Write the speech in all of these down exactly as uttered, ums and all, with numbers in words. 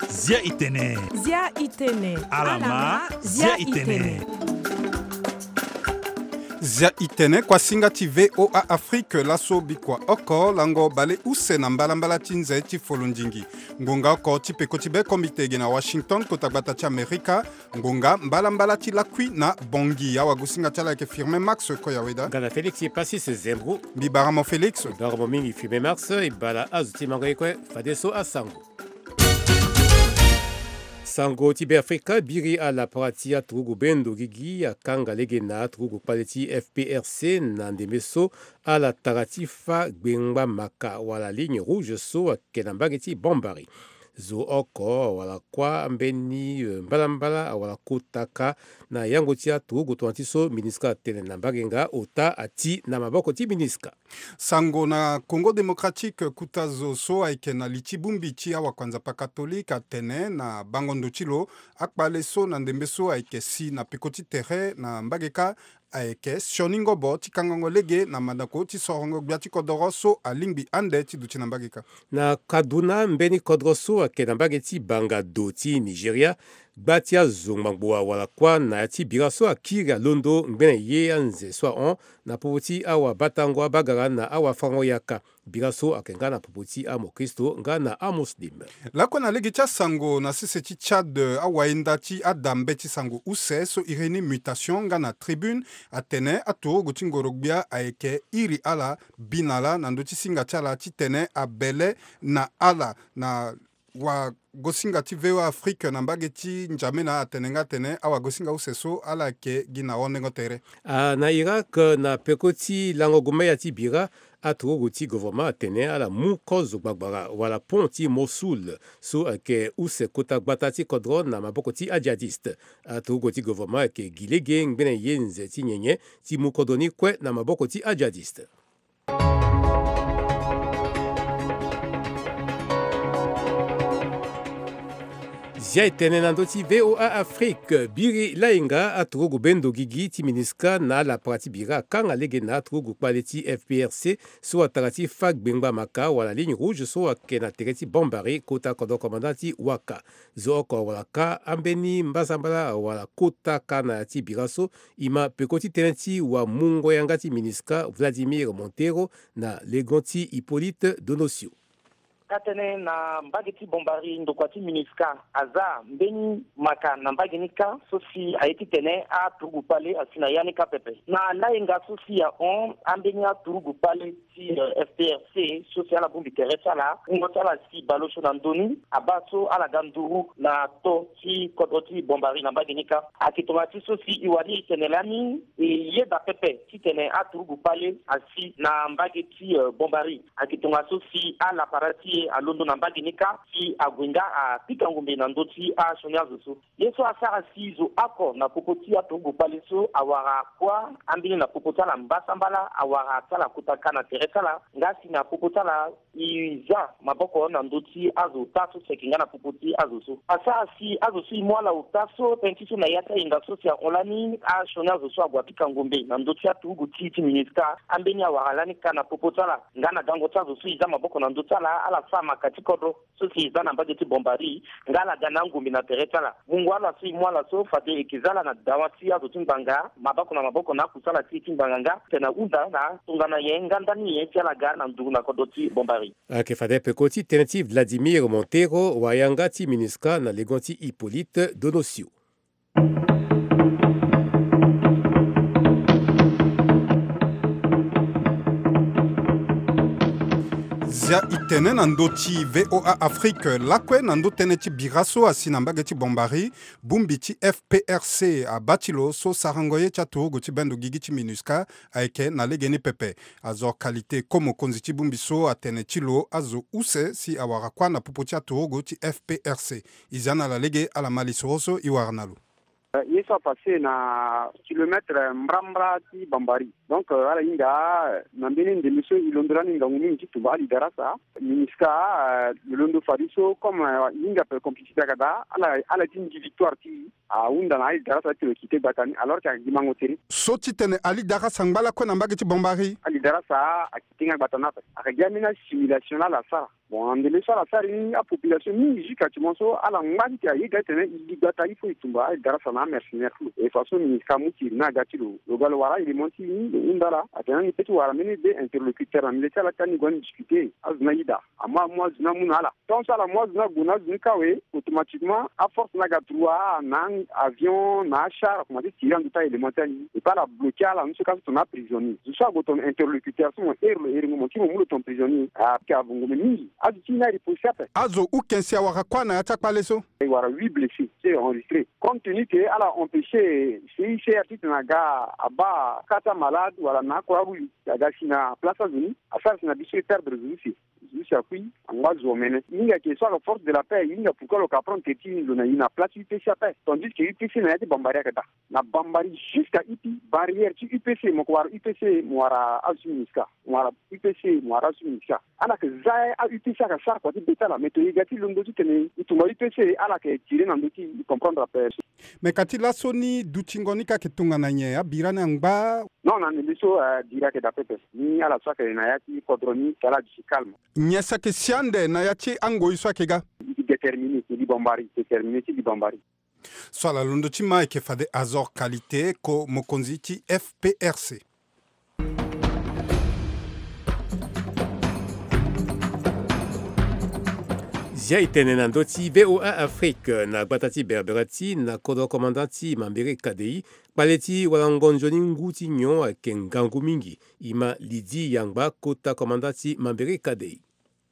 Zia itene. Zia itene. Alama, zia itene. Zia itene, kuasinga ti VOA Afrique, laso bikua oko lango bale use na mbalambala ti nze ti folondingi. Ngonga oko ti peko ti be komite ge na Washington, kota gbata ti Amerika. Ngonga mbalambala ti lakui na Bangui. Awagosinga ti ala ayeke Firmin Max Koyaweda. Nga na Félix Passis Zembro. Mbi bara mo Félix. Mbi bara mo mingi Firmin Max. E bala azo ti mango ye kue, fadeso asango. Sango ti Beafrika, biri ala para ti aturugu bendo gigi akanga lege na aturugu kpale ti F P R C na ndembe so ala tara ti fâ gbengba maka wala ligne rouge so ayeke na mbage ti Bambari. Zo oko wala kuâ ambeni, eh, mbalambala wala kota kâ na yango ti aturugu tongana ti so MINUSCA atene na mbage nga, ota ati na maboko ti MINUSCA. Sango na Congo Démocratique, kota zo so ayeke na li ti bongbi ti awakuanzapa catholique atene na bango ndo ti lo akpale so na ndembe so ayeke si na peko ti tere na mbage kâ ayeke sioni ngobo ti kangango lege na mandako ti sorongo gbia ti kodoro so alingbi ande ti duti na mbage kâ. Na Kaduna, mbeni kodro so ayeke na mbage ti Bangado ti Nigeria, gba ti azo ngbangbo awara kuâ na ya ti bira so akiri alondo ngbene ye anze so ahon na popo ti awabatango abagara na awafango yaka. Bira so ayeke nga na popo ti amokristo nga na amuslim. Lakue na lege ti asango, na sese ti Tchad, awayenda ti ada mbeti sango use so iri ni Mutation nga na Tribune atene aturugu ti ngoro-gbia ayeke iri ala, bi na ala na ndö ti singa ti ala titene abele na ala. Na wagosinga ti VOA Afrique na mbage ti N'Djamena atene nga atene awagosinga use so ala yeke gi na hondengo tere. Ah, na Irak, na peko ti lango gumeya ti bira, aturugu ti gouvernement atene ala mu kozo gbagbara wala pont ti Mossoul so ayeke use kota gbata ti kodro na maboko ti ajihadiste. Aturugu ti gouvernement ayeke gi lege ngbene ye nze ti nyenye ti mu kodro ni kue na maboko ti ajihadiste. Zia e tene na ndö ti VOA Afrique, biri lainga aturugu bendo gigi ti MINUSCA na ala para ti bira akanga lege na aturugu kpale ti F P R C so atara ti fâ gbengba maka wala ligne rouge so ayeke na tere ti Bambari kota kodro commandant ti Waka. Zo oko wala kâ ambeni mbasambala wala kota kâ na ya ti bira so, e ma peko ti tënë ti wamungo yanga ti MINUSCA Vladimir Montero na legon ti Hippolyte Donosio. Ka tënë na mbage ti Bambari, ndokua ti MINUSCA aza mbeni maka na mbage ni kâ so si aye titene aturugu kpale asi na ya ni kâ pepe. Na lainga so si ahon, ambeni aturugu kpale ti, eh, F P R C so si ala bongbi tere ti ala, wungo ti ala si baleosio na ndö ni, abaa so ala ga nduru na to ti kodro ti Bambari na mbage ni kâ. Ayeke tongana ti so si e wani e tene lani, e yeda pepe titene aturugu kpale asi na mbage ti, eh, Bambari. Ayeke tongana so si ala para ti e alondo na mbage ni kâ si ague nga apika ngombe na ndö ti asioni azo so. Ye so asara si zo oko na popo ti aturugu kpale so awara kuâ, ambeni na popo ti ala mbasambala awara ti ala kota kâ na tere ti ala, nga si na popo ti ala e za maboko na ndö ti azo ota so si ayeke nga na popo ti azo so. Asara si azo so e mu ala ota so, tënë ti so na ya ti ahinga so si ahon lani, asioni azo so ague apika ngombe na ndö ti aturugu ti, ti MINUSCA, ambeni awara lani kâ na popo ti ala, nga na gango ti azo so e za maboko na ndö ti ala, ala sara maka ti kodro so si e za na mbage ti Bambari, nga ala ga na angombe na tere ti ala. Mungo ala so e mu ala so fade e yeke za ala na dawa ti azo ti ngbanga, maboko na maboko na akusala ti e ti ngbanga nga, tene ahunda na tongana nyen nga ndani nyen ti ala ga na nduru na kodro ti Bambari. Ayeke fade peko ti tënë ti Vladimir Montero, wayanga ti MINUSCA na legon ti Hippolyte Donosio. Zia e tene na ndö ti VOA Afrique lakue na ndö tënë ti bira so asi na mbage ti Bambari, bongbi ti F P R C abaa ti lo so sarango ye ti aturugu ti bendo gigi ti MINUSCA ayeke na legeni pepe. Azo Qualité Ko, mokonzi ti bongbi so, atene ti lo azo use si awara kuâ na popo ti aturugu ti F P R C. E zia na ala lege ala ma lisoro so e wara na lo. Ye so apasse na kilomètre mbrambra ti Bambari. Donc ala hinga na mbeni ndembe so e londo lani ngangu mingi ti tumba ali darasa. Minisca lo londo fade so comme e hinga pe complicité aga daa ala ti ndi victoire ti e ahunda na ali darasa ti lo kite gbata ni alors que agi mango tere. So ti tene ali darasa ngba lakue na mbage ti Bambari. Ali darasa akite nga gbata ni ape. Aga gi ambeni assimilation laa ala sara. Bon, na ndembe so ala sara ni apopulation mingi jusqu'à ti mo so ala ngba ti tene aye ga ti tene e gi gbata il faut e tumba ali darasa na amercenaire ti lo. E façon Minisca amu ti iri ni aga ti lo lo ga lo wara aélément ti e ni lo hunda ala atene ni pe ti wara mbeni deux interlocuteur na milieu ti ala ti ani gue ni discuter. Azo ni aye daa. Amu amu azo ni amu na ala. Tant so ala mu azo ni ague na azo ni kâ awe, automatiquement aforce ni aga droit na avion na achar akomanse tire na ndö ti aélément ti ani. Et puis ala bloquer ala ni so kâ so tongana aprisonnier. Zo so ague tongana interlocuteur so mo iri lo iri ngo mo ti mo mu lo tongana prisonnier. Ayeke avungu me mingi. Azo ti e ni areposi ape. Azo ukense awara kuâ na ya ti akpale so. E wara huit blessés so e enregistré. Compte tenu que ala empêcher C I C R ti tene aga abaa kâ ti amalade wala na Croix Rouge aga si na place azo ni asara si na biso e perdre zo use. Zo use akui angba zo omene. E hinga ke so ala force de la paix e hinga pourquoi lo ka prendre tere ti lo na e na place ti U P C ape. Tandis que U P C na ya ti Bambari ayeke daa. Na Bambari jusqu'à Ipi, barrière ti U P C mo ko wara U P C mo wara azo ti Minisca. Mo wara U P C mo wara azo ti Minisca. Ala yeke za a U P C ayeke sara kua ti be ti ala mais to e ga ti londo ti tene e tumba U P C ala yeke tire na ndö ti e comprendre ape. Me ka ti laso ni dutingo ni ka yeke tongana nyen? Abira ni angba? Non, na ndembe so bira ayeke daa pepe. Ni ala so ayeke na ya ti kodro ni ka ala duti calme. Nyen si ayeke si ande na ya ti angoi so ayeke ga? Déterminé ti li Bambari, déterminé ti li Bambari. So ala londo ti ma ayeke fade Azor Qualité, ko mokonzi ti F P R C. Zia e tene na ndö ti V O A Afrique na gbata ti Berbera ti na kodro commandant ti Mambere Kadei. Kpale ti walango nzoni ngu ti nyon ayeke ngangu mingi. E ma Lydie Yangba, kota commandant ti Mambere Kadei.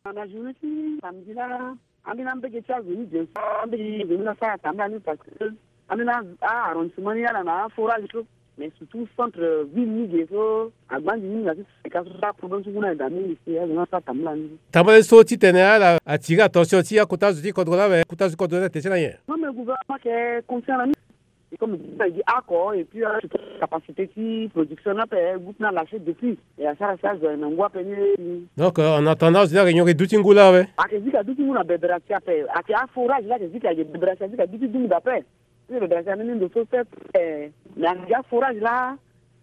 Na journée ti samedi laa, ambeni ambege ti azo ni bien sûr, ambege ti azo ni laa so atambula ni parce que ambeni a-arrondissement ni ala na aforage so, mais surtout centre ville ni ge so agbanzi mingi na ti seka so, aproblème so ngu ni ayeke daa mingi si azo ni laa so atambula ni. Tambula so titene ala attirer attention ti akota zo ti kodro laa awe, kota zo ti kodro ni ate ti ala nyen? Non, mais gouvernement ayeke conscient na ni. Et comme groupe na gi oko et puis ala ti capacité ti production ni ape, groupe ni alâché depuis. E asara si azo aye na ngu ape ni. Donc en attendant azo ni ayeke nyongo e duti ngu laa awe? Ayeke zi ka duti ngu na Berbera ti ape. Ayeke aforage laa ayeke zi ka, ayeke Berbera ti azi ka duti dungu daa ape. Ti Berbera ti ambeni ndo so pepe. Mais ayeke gi aforage laa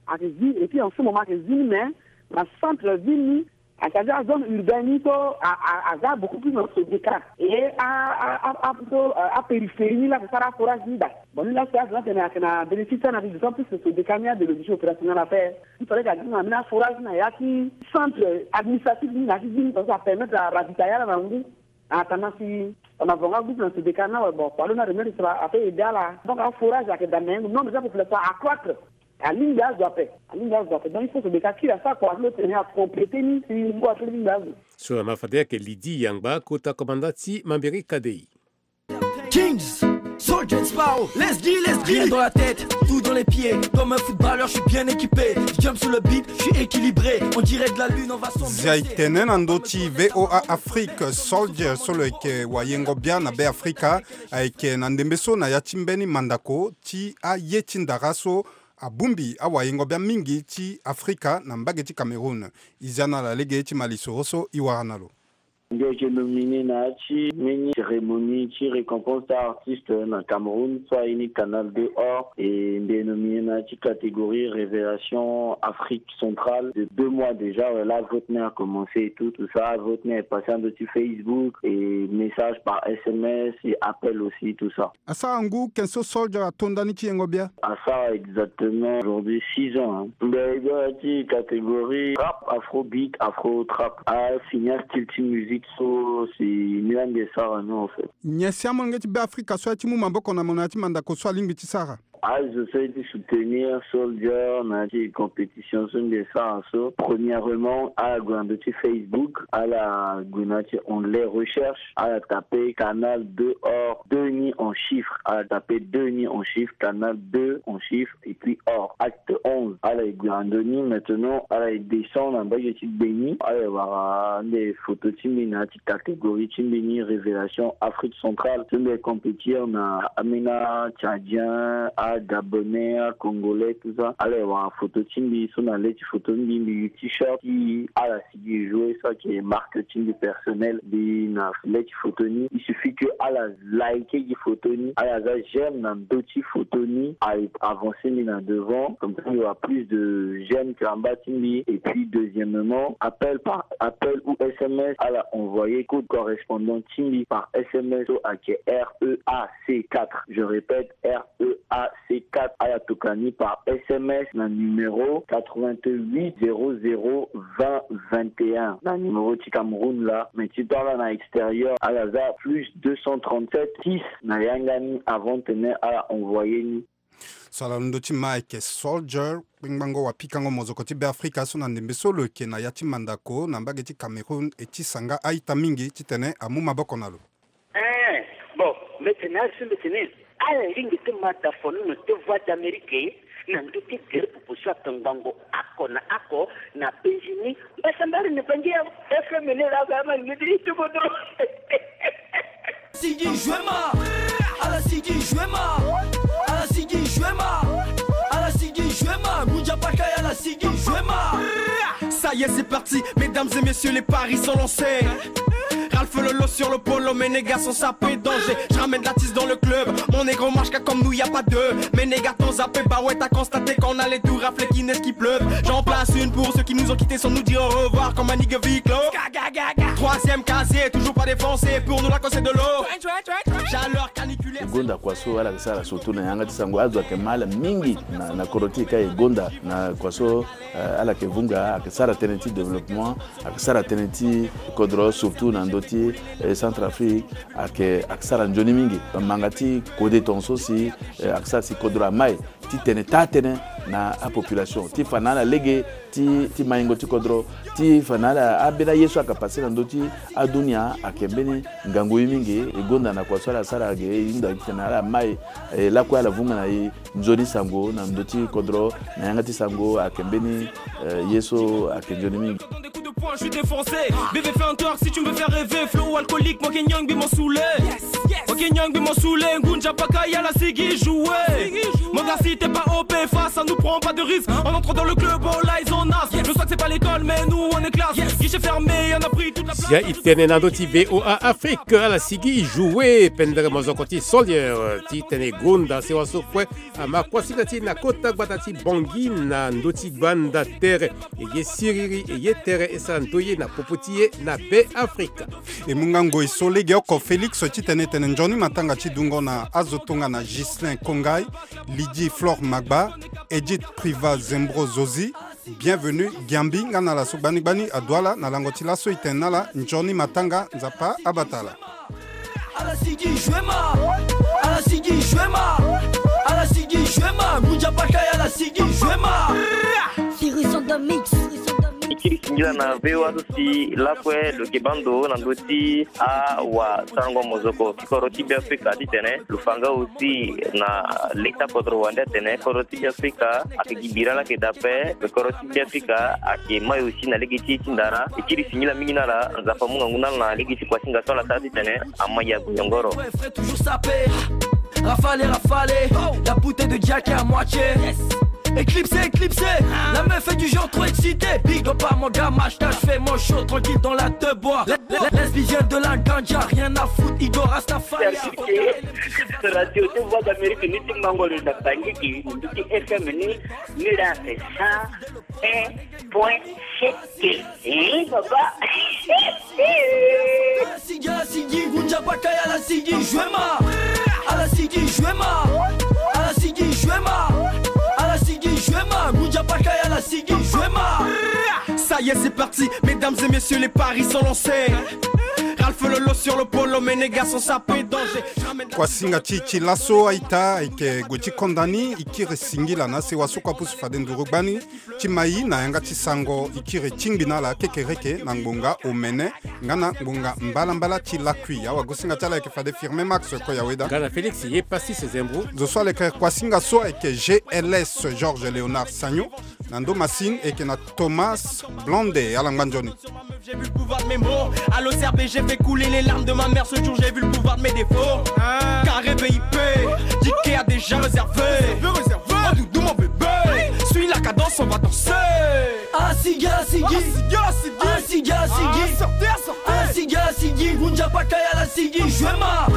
ayeke zi et puis en ce moment ayeke zi ni mais na centre ville ni. C'est-à-dire azone urbaine ni so a, a, aza beaucoup plus na Sodeka. Et a, a, a, a, so, a, apériphérie ni laa ayeke sara aforage ni daa. Bon, ni laa so azo ni atene ayeke na bénéfice ti ala, d'autant plus que Sodeka ni a de l'obligé opérationnel ape. Il fallait que azi na ambeni aforage ni na ya ti centre administratif ni na ya ti ville ni, parce que apermettre aravitailler ala na ngu. En attendant si on a vraiment groupe na Sodeka ni awe, bon, kua lo ni aremettre so ape aider ala. Donc aforage ayeke daa, mais nombre ti apopulation accroître. Alingbi azo ape, alingbi azo ape. Donc il faut que Sodeka kiri asara kua ti lo tene acompléter ni si ngu ape lingbi azo. So na ma fade ayeke Lydie Yangba, kota commandant ti Mambere Kadei. Kings, Soldier Sparrow, let's go, let's go. Rien dans la tête, tout dans les pieds. Comme un footballeur, je suis bien équipé. Je jump sur le beat, je suis équilibré. On dirait de la lune, on va s'envoler. Zia e tene na ndö ti V O A Afrique, Soldier so lo yeke wayengo bia na Be Afrika, ayeke na ndembe so na ya ti mbeni mandako ti aye ti ndara so abongbi awayengo bia mingi ti Afrika na mbage ti Cameroun. E zia na ala lege ti ma lisoro so e wara na lo. Mbi yeke nominé na ya ti mbeni cérémonie ti récompense ti artiste na Cameroun so aye ni Canal deux Or, et mbi yeke nominé na ya ti catégorie Révélation Afrique Centrale de deux mois déjà. Ouais, là vote ni a commencé et tout, tout ça. Vote ni a passé na ndö ti Facebook et message par S M S et appel aussi, tout ça. Asara ngu ken so Soldier ato ndani ti yengo bia? Asara exactement aujourd'hui six ans, hein. Mbi ayeke na ya ti catégorie rap, afrobeat, afro trap. Afini astyle ti musique so si ni laa mbi sara ni en fait. Nyen si amolenge ti Be Afrika so aye ti mu maboko na mo na ya ti mandako so alingbi ti sara? Azo so ye ti soutenir Soldier na ya ti compétition so mbi sara so. Premièrement, ala gue na ndö ti Facebook, ala gue na ya ti onglet recherche, ala tape Canal deux or, deux ni en chiffre. Ala tape deux ni en chiffre, Canal deux en chiffre, et puis or. Acte onze. Ala e gue na ndö ni. Maintenant, ala e descend na mbage ti gbe ni. Ala e wara nde photo ti mbi na ya ti catégorie ti mbi ni, Révélation Afrique Centrale. So mbi e compétir na ambeni Tchadien, a Gabonais, a Congolais, tout ça. Ala e wara photo ti mbi so na le ti photo ti mbi, mbi yu t-shirt ti ala sigi e jouer, so ayeke marque ti mbi personnel. Mbi na le ti photo ni. Il suffit que ala like gi photo ni, ala za j'aime na ndö ti photo ni, ala avancer mbi na devant. Comme ça, il y aura plus de j'aime ti amba ti mbi. Et puis, deuxièmement, appel par appel ou S M S, ala envoyer code correspondant ti mbi par S M S so ayeke R E A C quatre. Je répète, R E A C quatre. Ala tokua ni par S M S na numéro quatre-vingt-huit zéro zéro vingt vingt et un, na numéro ti Cameroun laa. Mais ti tongana na extérieur, ala za plus deux cent trente-sept six na yanga ni avant tene ala envoyer ni. So ala londo ti ma ayeke Soldier, kpengbango wapikango mozoko ti Beafrika so na ndembe so lo yeke na ya ti mandako na mbage ti Cameroun, e ti sanga a-ita mingi titene amu maboko na lo. Eh, bon, mbi tene azo so mbi tene ala lingbi ti ma dafono na te Voix d'Amérique na ndö ti tere popo so akangbango oko na oko na penzi ni. Mbasambara na Bangi ya F M ni laa, ba ma ni ti tubo dro. Sigi Juema, ala Sigi Juema, ala Sigi Juema, ala Sigi Juema, Ngunza Bakaya, ala Sigi Juema. Ça y est, c'est parti, mesdames et messieurs, les paris sont lancés. Ralph Lolo sur le polo, mes négats sont sapés, danger. Je ramène l'artiste dans le club, mon négro marche comme nous, y a pas deux. Mes négats t'ont zappé, bah ouais, t'as constaté qu'on allait tout rafler, qu'il neige, qu'il pleuve. J'en place une pour ceux qui nous ont quittés sans nous dire au revoir, comme un nigga Viclo. Troisième casier, toujours pas défoncé, pour nous la cosse de l'eau. Chaleur caniculaire. E gonda kua so ala yeke sara surtout na yanga ti sango, azo ayeke ma ala mingi na, na kodro ti e ka e gonda na kua so, eh, ala yeke vunga, ayeke sara tënë ti développement, ayeke sara tënë ti kodro surtout na ndö ti, eh, Centrafrique, ayeke, ayeke sara nzoni mingi. Manga ti kode tongaso si, eh, ayeke sara si kodro amai titene taa tënë na apopulation ti fa na ala lege ti, ti maingo ti kodro, ti fa na ala, ambeni aye so ayeke passe na ndö ti adunia ayeke mbeni ngangu ye mingi. E gonda na kua so ala sara ge, e hunda titene ala mai, eh, lakue ala vunga na e nzoni sango na ndö ti kodro, na yanga ti sango ayeke mbeni, eh, ye so ayeke nzoni mingi. Des coups de poing, je suis défoncé. Bébé, fais un twerk si tu me fais rêver. Flow alcoolique, moi, Kenyan, bi mon saoulé. Moi, Kenyan, bi mon saoulé. Ngunza Bakaya, ala Sigi Juema. Mon gars, si t'es pas O P, face à nous, prends pas de risque. On entre dans le club, all eyes on us. Le swag, c'est pas l'école, mais nous, on est classe. Guichet fermé, on a pris toute la place. Sia e tene na ndö ti V O A Afrique, ala Sigi Juema, pendere mozoko ti Soldier, titene gonda sewa so kue ama kuasinga ti e na kota gbata ti Bangui na ndö ti gbanda tere. E ye siriri, e ye tere, e sara ndoye na popo ti e na Beafrika. E mu nga ngoi so legeoko Félix titene e tene nzoni matanga ti dungo na azo tongana Ghislain Kongai, Lydie Flore Magba, Edith Priva Zembro Zozi, Bienvenue Giambi, nga na ala so gbani gbani aduala na lango ti laso e tene na ala nzoni matanga, Nzapa abata ala. Ala Sigi Juema, ala Sigi Juema, ala Sigi Juema, Ngunza Bakaya, ala Sigi Juema. Cyrus on the mix. E kiri singila na V O A so si lakue lo yeke bando na ndö ti awasarango mozoko ti kodro ti Beafrika titene lo fa nga aussi na leta kodro wande atene kodro ti Beafrika ayeke gi bira laa ayeke daa ape. Kodro ti Beafrika ayeke mai aussi na lege ti e ti ndara. E kiri singila mingi na ala, Nzapa amu ngangu na ala na lege ti kuasinga so ala sara titene ama ya gue nyongoro. Toujours sapé. Rafale, rafale. La bouteille de Jack est à moitié. Éclipsé, éclipsé. La meuf fait du genre trop excité. Big up à mon gars, Mashka, je fais mon show tranquille dans la deux bois. Lesbien de la ganja, rien à foutre, Igor Rastafari. Radio de Voix d'Amérique, ni ti mango le na Bangui, ni ti F M ni, ni la c'est ça. Un point sept. Eh, papa. Ala Sigi, ala Sigi, Ngunza Bakaya, ala Sigi Juema. Ala Sigi Juema. Ala Sigi Juema. Ala Sigi Juema, Ngunza Bakaya, ala Sigi Juema. Ça y est, c'est parti, mesdames et messieurs, les paris sont lancés. Ralph Lolo sur le polo, mes négats sont sapés, danger. Kuasinga ti ti laso aita ayeke gue ti konda ni, e kiri singila na sewa so kue apusu fade nduru gbani. Ti ma e na yanga ti sango e kiri tingbi na ala kekereke na ngbonga omene nga na ngbonga mbalambala ti lakui. Awagosinga ti ala ayeke fade Firme Max Koyaweda. Nga na Félix ye Pastis Zembro. Zo so aleke kuasinga so ayeke G L S Georges Léonard Sagno. Na ndo masine e yeke na Thomas Blonde. Ala ngba nzoni. J'ai vu le pouvoir de mes mots. Allô C R B G, fais couler les larmes de ma mère ce jour, j'ai vu le pouvoir de mes défauts. Carré V I P, ticket a déjà réservé. Oh doudou mon bébé, suis la cadence, on va danser. Asigi asigi. Asigi asigi. Asigi asigi. Asigi asigi. Vunja paka ya la sigi. Jwema.